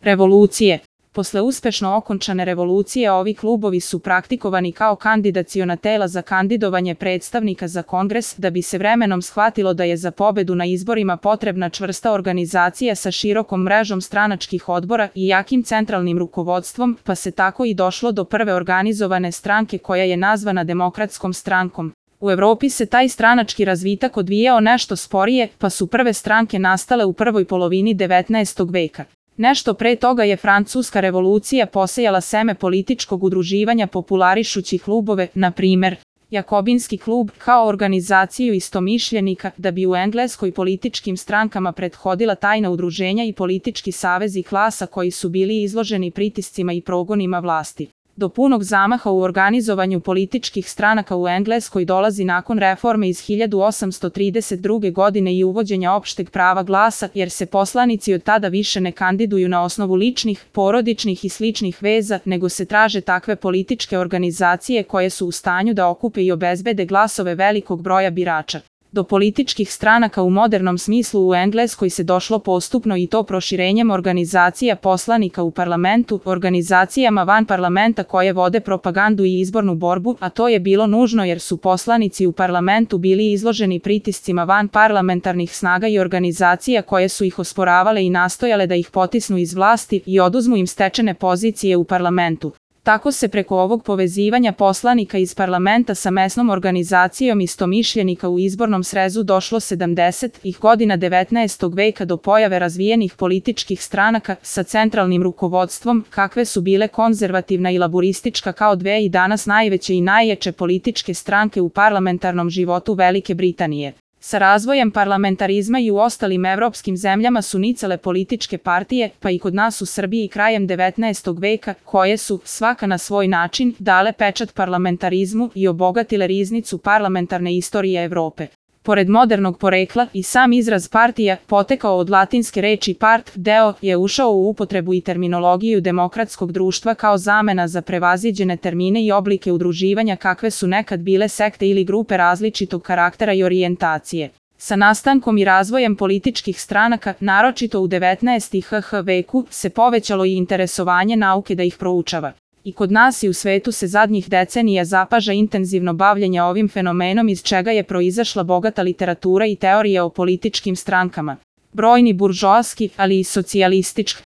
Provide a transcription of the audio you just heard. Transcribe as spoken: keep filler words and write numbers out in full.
Revolucije. Posle uspešno okončane revolucije ovi klubovi su praktikovani kao kandidaciona tela za kandidovanje predstavnika za kongres da bi se vremenom shvatilo da je za pobedu na izborima potrebna čvrsta organizacija sa širokom mrežom stranačkih odbora i jakim centralnim rukovodstvom, pa se tako i došlo do prve organizovane stranke koja je nazvana Demokratskom strankom. U Evropi se taj stranački razvitak odvijao nešto sporije, pa su prve stranke nastale u prvoj polovini devetnaestog veka. Nešto pre toga je Francuska revolucija posejala seme političkog udruživanja popularišući klubove, na primer, Jakobinski klub, kao organizaciju istomišljenika, da bi u Engleskoj političkim strankama prethodila tajna udruženja i politički savezi klasa koji su bili izloženi pritiscima i progonima vlasti. Do punog zamaha u organizovanju političkih stranaka u Engleskoj dolazi nakon reforme iz hiljadu osamsto trideset druge. godine i uvođenja opšteg prava glasa, jer se poslanici od tada više ne kandiduju na osnovu ličnih, porodičnih i sličnih veza, nego se traže takve političke organizacije koje su u stanju da okupe i obezbede glasove velikog broja birača. Do političkih stranaka u modernom smislu u Engleskoj se došlo postupno i to proširenjem organizacija poslanika u parlamentu, organizacijama van parlamenta koje vode propagandu i izbornu borbu, a to je bilo nužno jer su poslanici u parlamentu bili izloženi pritiscima van parlamentarnih snaga i organizacija koje su ih osporavale i nastojale da ih potisnu iz vlasti i oduzmu im stečene pozicije u parlamentu. Tako se preko ovog povezivanja poslanika iz parlamenta sa mesnom organizacijom istomišljenika u izbornom srezu došlo sedamdesetih godina devetnaestog veka do pojave razvijenih političkih stranaka sa centralnim rukovodstvom, kakve su bile konzervativna i laburistička kao dve i danas najveće i najjače političke stranke u parlamentarnom životu Velike Britanije. Sa razvojem parlamentarizma i u ostalim evropskim zemljama su nicale političke partije, pa i kod nas u Srbiji krajem devetnaestog veka, koje su, svaka na svoj način, dale pečat parlamentarizmu i obogatile riznicu parlamentarne istorije Evrope. Pored modernog porekla, i sam izraz partija, potekao od latinske reči part, deo, je ušao u upotrebu i terminologiju demokratskog društva kao zamena za prevaziđene termine i oblike udruživanja kakve su nekad bile sekte ili grupe različitog karaktera i orijentacije. Sa nastankom i razvojem političkih stranaka, naročito u devetnaestom veku, se povećalo i interesovanje nauke da ih proučava. I kod nas i u svetu se zadnjih decenija zapaža intenzivno bavljenje ovim fenomenom iz čega je proizašla bogata literatura i teorija o političkim strankama. Brojni buržoaski, ali i socijalistički